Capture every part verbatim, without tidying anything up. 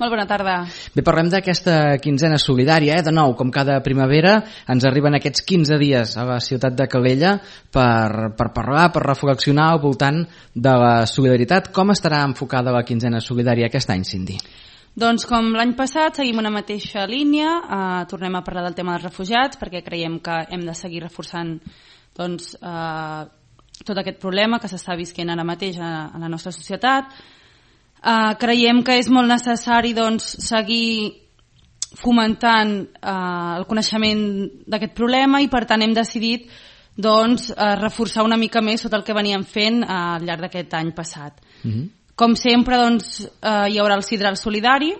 Molt bona tarda. Bé, parlem d'aquesta quinzena solidària. Eh? De nou, com cada primavera, ens arriben aquests quinze dies a la ciutat de Calella per, per parlar, per reflexionar al voltant de la solidaritat. Com estarà enfocada la quinzena solidària aquest any, Cindy? Doncs com l'any passat seguim una mateixa línia, eh, tornem a parlar del tema dels refugiats perquè creiem que hem de seguir reforçant doncs, eh, tot aquest problema que s'està visquent ara mateix a, a la nostra societat. Uh, creiem que és molt necessari doncs, seguir fomentant uh, el coneixement d'aquest problema i per tant hem decidit doncs, uh, reforçar una mica més tot el que veníem fent uh, al llarg d'aquest any passat. Mm-hmm. Com sempre doncs, uh, hi haurà el Sidral Solidari,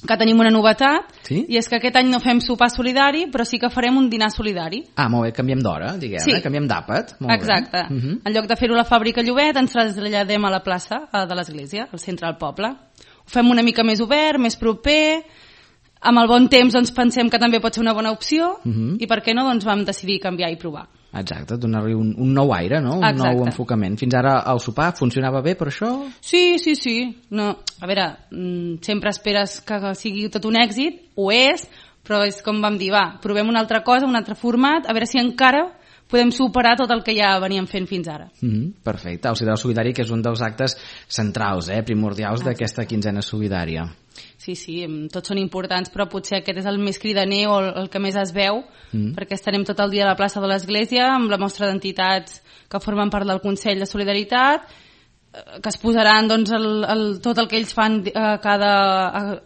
que tenim una novetat, sí? I és que aquest any no fem sopar solidari, però sí que farem un dinar solidari. Ah, molt bé, canviem d'hora, diguem, sí. eh? Canviem d'àpat. Exacte. Uh-huh. En lloc de fer-ho a la fàbrica Llobet, ens traslladem a la plaça de l'església, al centre del poble. Ho fem una mica més obert, més proper, amb el bon temps doncs, pensem que també pot ser una bona opció, uh-huh. I per què no doncs, vam decidir canviar i provar. Exacte, donar-li un, un nou aire, no? Un Exacte. Nou enfocament. Fins ara el sopar funcionava bé per això? Sí, sí, sí. No, a veure, sempre esperes que sigui tot un èxit, ho és, però és com vam dir, va, provem una altra cosa, un altre format, a veure si encara podem superar tot el que ja veníem fent fins ara. Mm-hmm, perfecte. El Sidral Solidari, que és un dels actes centrals, eh, primordials ah, d'aquesta quinzena solidària. Sí, sí, tots són importants, però potser aquest és el més cridaner o el que més es veu, mm. perquè estarem tot el dia a la plaça de l'Església amb la mostra d'entitats que formen part del Consell de Solidaritat, que es posaran doncs, el, el, tot el que ells fan a cada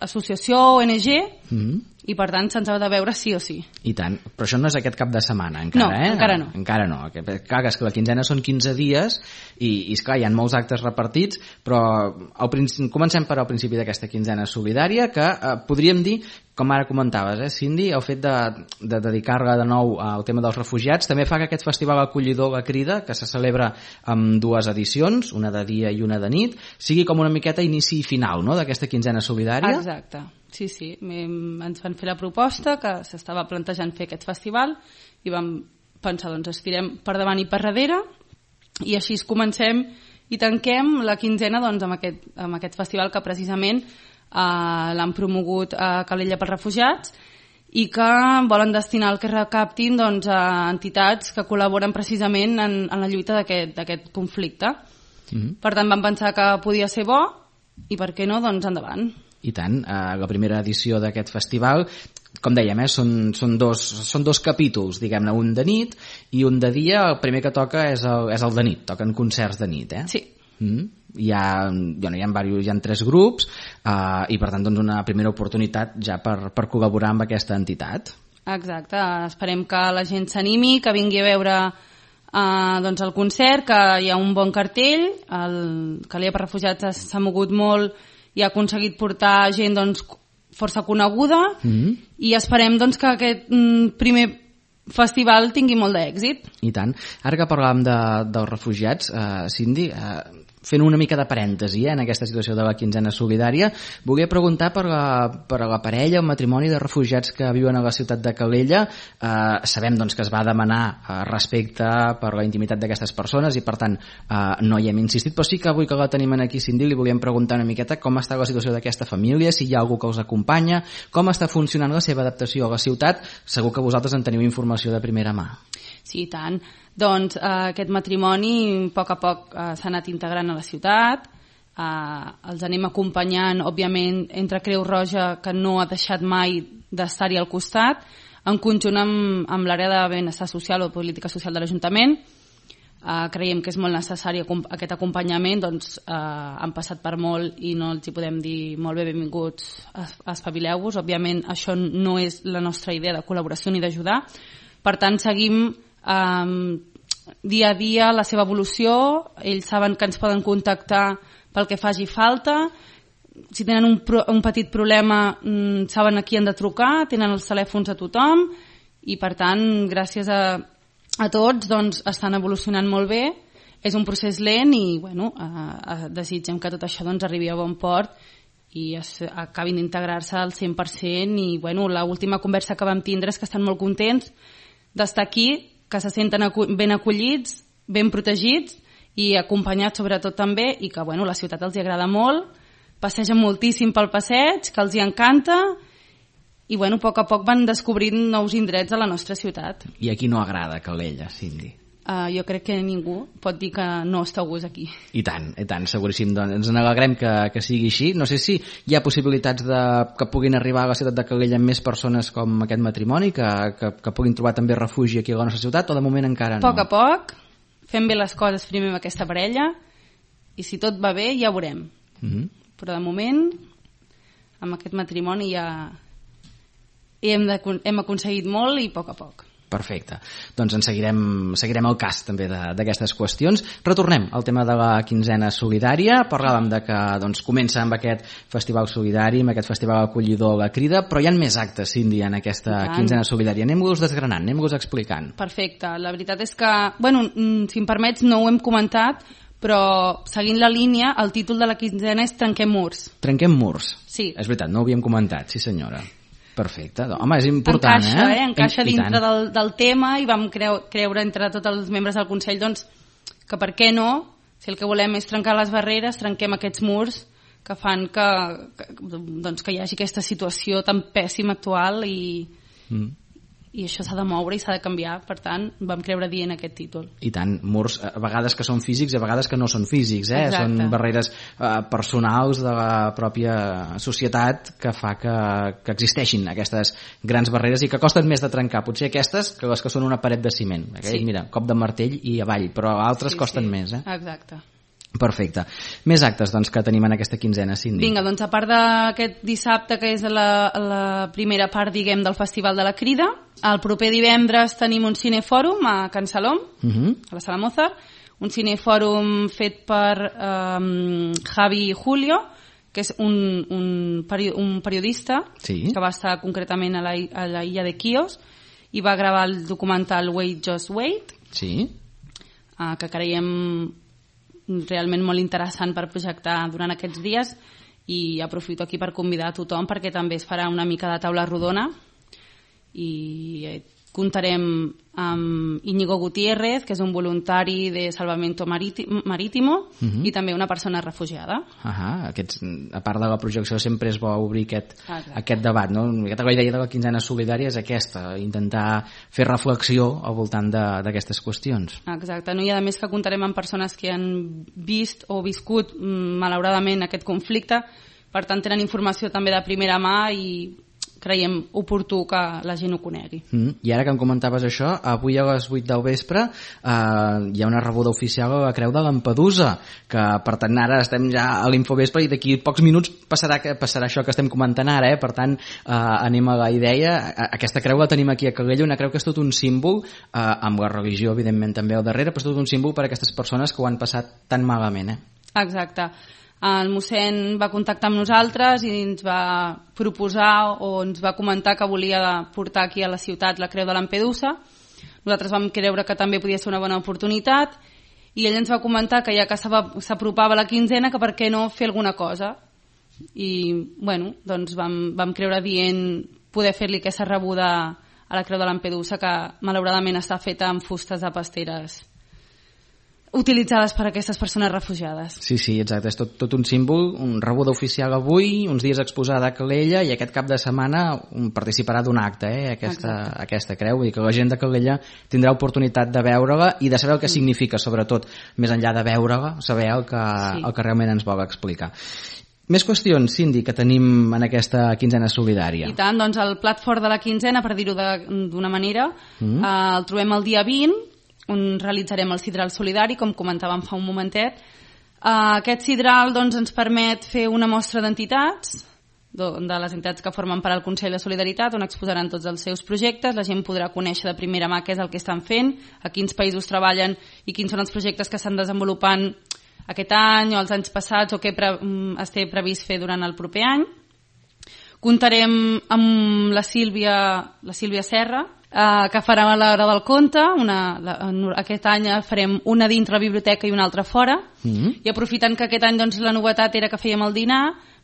associació o O N G, mm. i per tant se'ns ha de veure sí o sí. I tant, però això no és aquest cap de setmana encara, no, eh? encara no. Encara no, clar, és que la quinzena són quinze dies i, i esclar, hi ha molts actes repartits, però al principi, comencem per al principi d'aquesta quinzena solidària, que eh, podríem dir, com ara comentaves, eh, Cindy, el fet de, de dedicar-la de nou al tema dels refugiats també fa que aquest festival acollidor La Crida, que se celebra amb dues edicions, una de dia i una de nit, sigui com una miqueta inici i final, no?, d'aquesta quinzena solidària. Exacte. Sí, sí, ens van fer la proposta que s'estava plantejant fer aquest festival i vam pensar, doncs, estirem per davant i per darrere i així comencem i tanquem la quinzena doncs, amb, aquest, amb aquest festival que precisament eh, l'han promogut a Calella pels refugiats i que volen destinar el que recaptin doncs, a entitats que col·laboren precisament en, en la lluita d'aquest conflicte. Mm-hmm. Per tant, vam pensar que podia ser bo i per què no, doncs endavant. I tant, eh, la primera edició d'aquest festival, com dèiem, eh, són, són, dos, són dos capítols, diguem-ne, un de nit i un de dia. El primer que toca és el, és el de nit, toquen concerts de nit, eh? Sí. Mm? Hi ha, bueno, hi ha, diversos, hi ha tres grups eh, i per tant doncs, una primera oportunitat ja per, per col·laborar amb aquesta entitat. Exacte, esperem que la gent s'animi, que vingui a veure eh, doncs el concert, que hi ha un bon cartell, el Calella per Refugiats s'ha mogut molt i ha aconseguit portar gent doncs, força coneguda, mm-hmm. i esperem doncs, que aquest mm, primer festival tingui molt d'èxit. I tant. Ara que parlàvem de, dels refugiats, eh, Cindy, eh, fent una mica de parèntesi eh, en aquesta situació de la quinzena solidària, volia preguntar per la, per la parella, el matrimoni de refugiats que viuen a la ciutat de Calella. Eh, sabem doncs, que es va demanar eh, respecte per la intimitat d'aquestes persones i per tant eh, no hi hem insistit, però sí que avui que la tenim aquí, Cindy, li volíem preguntar una miqueta com està la situació d'aquesta família, si hi ha algú que els acompanya, com està funcionant la seva adaptació a la ciutat. Segur que vosaltres en teniu informació de primera mà. Sí, i tant. Doncs eh, aquest matrimoni a poc a poc eh, s'ha anat integrant a la ciutat, eh, els anem acompanyant, òbviament, entre Creu Roja, que no ha deixat mai d'estar-hi al costat, en conjunt amb, amb l'àrea de benestar social o política social de l'Ajuntament. Eh, creiem que és molt necessari aquest acompanyament, doncs eh, han passat per molt i no els hi podem dir molt bé benvinguts, espavileu-vos. Òbviament això no és la nostra idea de col·laboració ni d'ajudar, per tant seguim Um, dia a dia la seva evolució. Ells saben que ens poden contactar pel que faci falta, si tenen un, pro, un petit problema um, saben a qui han de trucar, tenen els telèfons a tothom i per tant gràcies a, a tots doncs, estan evolucionant molt bé. És un procés lent i bueno, uh, uh, desitgem que tot això doncs, arribi a bon port i es, acabin d'integrar-se al cent per cent i bueno, l'última conversa que vam tindre és que estan molt contents d'estar aquí, que se senten ben acollits, ben protegits i acompanyats sobretot també i que bueno, la ciutat els agrada molt, passegen moltíssim pel passeig, que els hi encanta, i bueno, a poc a poc van descobrint nous indrets a la nostra ciutat. I a qui no agrada Calella, Cindy? Uh, jo crec que ningú pot dir que no està a gust aquí. I tant, i tant, seguríssim. Doncs ens n'alegrem que, que sigui així. No sé si hi ha possibilitats de, que puguin arribar a la ciutat de Calella més persones com aquest matrimoni, que, que, que puguin trobar també refugi aquí a la nostra ciutat, o de moment encara no? A poc a poc, fem bé les coses primer amb aquesta parella, i si tot va bé ja ho veurem. Mm-hmm. Però de moment, amb aquest matrimoni ja hem, de, hem aconseguit molt i a poc a poc. Perfecte. Doncs en seguirem, seguirem el cas també d'aquestes qüestions. Retornem al tema de la quinzena solidària. Parlàvem de que doncs, comença amb aquest festival solidari, amb aquest festival acollidor La Crida, però hi ha més actes, Cindy, en aquesta quinzena solidària. Anem-los desgranant, anem-los explicant. Perfecte. La veritat és que, bueno, si em permets, no ho hem comentat, però seguint la línia, el títol de la quinzena és Trenquem murs. Trenquem murs. Sí. És veritat, no ho havíem comentat, sí senyora. Perfecte. Home, és important, encaixa, eh? eh? Encaixa dintre del, del tema i vam creu, creure entre tots els membres del Consell doncs, que per què no, si el que volem és trencar les barreres, trenquem aquests murs que fan que, que, doncs, que hi hagi aquesta situació tan pèssima actual i, mm. i això s'ha de moure i s'ha de canviar. Per tant, vam creure dient aquest títol. I tant, murs a vegades que són físics i a vegades que no són físics, eh? Són barreres eh, personals de la pròpia societat que fa que, que existeixin aquestes grans barreres i que costen més de trencar, potser aquestes que les que són una paret de ciment. Aquell, sí. Mira, cop de martell i avall, però altres sí, costen sí. més, eh? Exacte. Perfecte. Més actes doncs, que tenim en aquesta quinzena, Cindy. Vinga, doncs a part d'aquest dissabte, que és la, la primera part, diguem, del Festival de la Crida, el proper divendres tenim un cinefòrum a Can Salom, uh-huh. a la Sala Mozart, un cinefòrum fet per um, Javi Julio, que és un, un, peri un periodista sí. que va estar concretament a la, a la illa de Quios i va gravar el documental Wait, Just Wait, sí. uh, que creiem realment molt interessant per projectar durant aquests dies, i aprofito aquí per convidar a tothom perquè també es farà una mica de taula rodona i comptarem amb Íñigo Gutiérrez, que és un voluntari de Salvamento Marítimo, uh-huh. i també una persona refugiada. Uh-huh. Aquests, a part de la projecció sempre es vol obrir aquest, aquest debat, no? La idea de la quinzena solidària és aquesta, intentar fer reflexió al voltant d'aquestes qüestions. Exacte, no? I a més que comptarem amb persones que han vist o viscut malauradament aquest conflicte, per tant tenen informació també de primera mà i creiem oportú que la gent ho conegui. Mm. I ara que em comentaves això, avui a les vuit del vespre eh, hi ha una rebuda oficial a la Creu de Lampedusa, que per tant ara estem ja a l'infovespre i d'aquí pocs minuts passarà, passarà això que estem comentant ara, eh? Per tant eh, anem a la idea. Aquesta creu la tenim aquí a Calella, una creu que és tot un símbol, eh, amb la religió evidentment també al darrere, però és tot un símbol per a aquestes persones que ho han passat tan malament. Eh? Exacte. El mossèn va contactar amb nosaltres i ens va proposar o ens va comentar que volia portar aquí a la ciutat la Creu de Lampedusa. Nosaltres vam creure que també podia ser una bona oportunitat i ell ens va comentar que ja que s'apropava la quinzena, que per què no fer alguna cosa. I bueno, doncs vam, vam creure dient poder fer-li aquesta rebuda a la Creu de Lampedusa, que malauradament està feta amb fustes de pasteres utilitzades per aquestes persones refugiades. Sí, sí, exacte, és tot, tot un símbol, un rebuda oficial avui, uns dies exposada a Calella i aquest cap de setmana un participarà d'un acte, eh, aquesta, aquesta creu, i que la gent de Calella tindrà oportunitat de veure-la i de saber el que mm. significa, sobretot, més enllà de veure-la, saber el que, sí. el que realment ens vol explicar. Més qüestions, Cindy, que tenim en aquesta quinzena solidària. I tant, doncs el plat fort de la quinzena, per dir-ho d'una manera, mm. eh, el trobem el dia vint, on realitzarem el sidral solidari, com comentàvem fa un momentet. Uh, aquest sidral doncs, ens permet fer una mostra d'entitats, de les entitats que formen part del Consell de Solidaritat, on exposaran tots els seus projectes, la gent podrà conèixer de primera mà què és el que estan fent, a quins països treballen i quins són els projectes que estan desenvolupant aquest any o els anys passats o què pre es té previst fer durant el proper any. Comptarem amb la Sílvia, la Sílvia Serra, Uh, que farà a l'hora del conte. Una, la, aquest any farem una dintre la biblioteca i una altra fora, mm-hmm. i aprofitant que aquest any doncs, la novetat era que fèiem el dinar,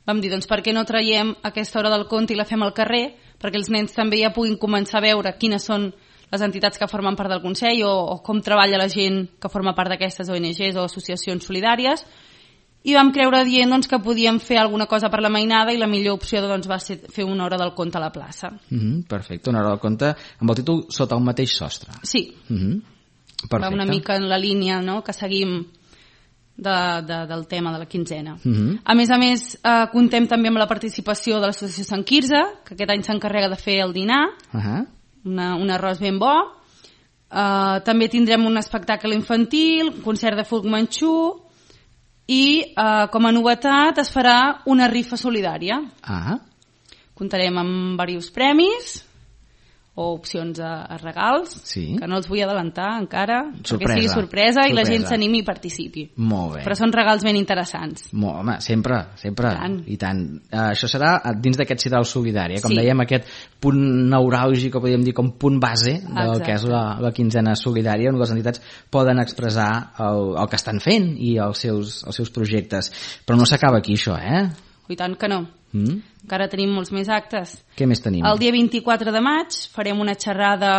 vam dir doncs, per què no traiem aquesta hora del conte i la fem al carrer, perquè els nens també ja puguin començar a veure quines són les entitats que formen part del Consell o, o com treballa la gent que forma part d'aquestes O N Ges o associacions solidàries, i vam creure dient doncs, que podíem fer alguna cosa per la mainada i la millor opció doncs, va ser fer una hora del conte a la plaça. Mm-hmm, perfecte, una hora del conte amb el títol Sota un mateix sostre. Sí, mm-hmm, perfecte. Va una mica en la línia, no?, que seguim de, de, del tema de la quinzena. Mm-hmm. A més a més, eh, contem també amb la participació de l'associació Sant Quirze, que aquest any s'encarrega de fer el dinar, uh-huh. una, un arròs ben bo. Eh, també tindrem un espectacle infantil, un concert de folk manxú, i eh, com a novetat es farà una rifa solidària. Ah. Comptarem amb diversos premis o opcions a, a regals, sí. que no els vull adelantar encara, sorpresa. perquè sigui sorpresa, sorpresa i la gent s'animi i participi. Molt bé. Però són regals ben interessants. Molt, home, sempre, sempre. I tant. I tant. Uh, això serà dins d'aquest Ciral Solidària, com sí. dèiem, aquest punt neuràlgic, o podríem dir com punt base del Exacte. Que és la, la quinzena solidària, on les entitats poden expressar el, el que estan fent i els seus, els seus projectes. Però no s'acaba aquí, això, eh? I tant que no. Mm. Encara tenim molts més actes. Què més tenim? El dia vint-i-quatre de maig farem una xerrada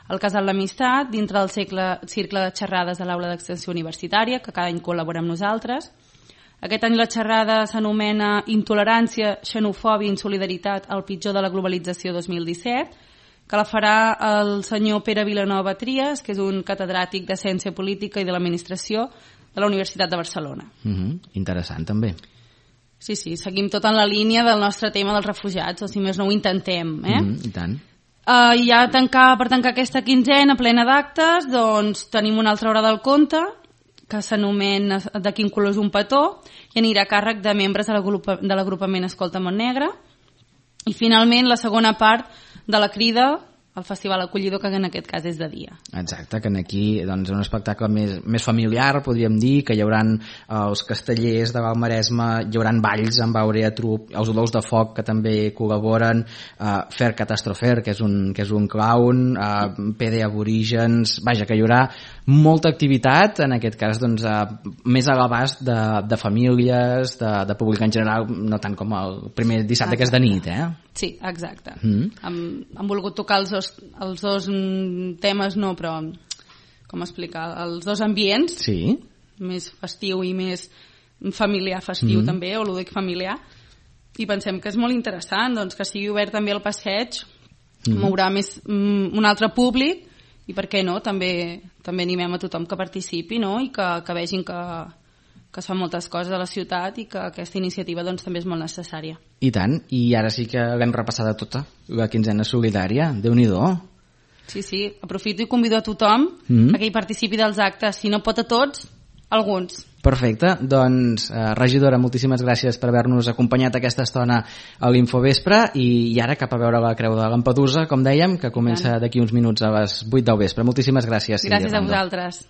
al Casal l'Amistat dintre del cicle, cicle de xerrades de l'Aula d'Extensió Universitària, que cada any col·labora amb nosaltres. Aquest any la xerrada s'anomena Intolerància, xenofòbia i insolidaritat, el pitjor de la globalització dos mil disset, que la farà el senyor Pere Vilanova Trias, que és un catedràtic de Ciència Política i de l'Administració de la Universitat de Barcelona. Mm-hmm. Interessant, també. Sí, sí, seguim tot en la línia del nostre tema dels refugiats, o si més no ho intentem, eh? Mm, I tant. Uh, I ja tancar, per tancar aquesta quinzena plena d'actes, doncs tenim una altra hora del conte, que s'anomena De quin color és un petó, i anirà a càrrec de membres de l'agrupament Escolta Montnegre. I finalment la segona part de la crida, el Festival Acollidor, que en aquest cas és de dia. Exacte, que aquí doncs, un espectacle més, més familiar, podríem dir, que hi haurà els castellers de Val Maresme, hi haurà balls amb Aurea Trup, els olors de foc que també col·laboren, uh, Fer Catastrofer, que és un, que és un clown, uh, P D Aborígens, vaja, que hi haurà molta activitat, en aquest cas doncs, uh, més a l'abast de, de famílies, de, de públic en general, no tant com el primer dissabte, exacte. Que és de nit, eh? Sí, exacte. Mm. Hem, hem volgut tocar els dos, els dos temes, no, però com explicar, els dos ambients, sí. Més festiu i més familiar festiu mm. també, o lúdic familiar, i pensem que és molt interessant doncs, que sigui obert també el passeig, mm. mourà més mm, un altre públic, i per què no, també, també animem a tothom que participi, no? I que, que vegin que, que es fan moltes coses a la ciutat i que aquesta iniciativa doncs, també és molt necessària. I tant, i ara sí que l'hem repassada tota, la quinzena solidària, Déu-n'hi-do. Sí, sí, aprofito i convido a tothom mm. a que hi participi dels actes, si no pot a tots, alguns. Perfecte, doncs eh, regidora, moltíssimes gràcies per haver-nos acompanyat aquesta estona a l'Infovespre i, i ara cap a veure la Creu de Lampedusa, com dèiem, que comença d'aquí uns minuts a les vuit del vespre. Moltíssimes gràcies. Gràcies a vosaltres.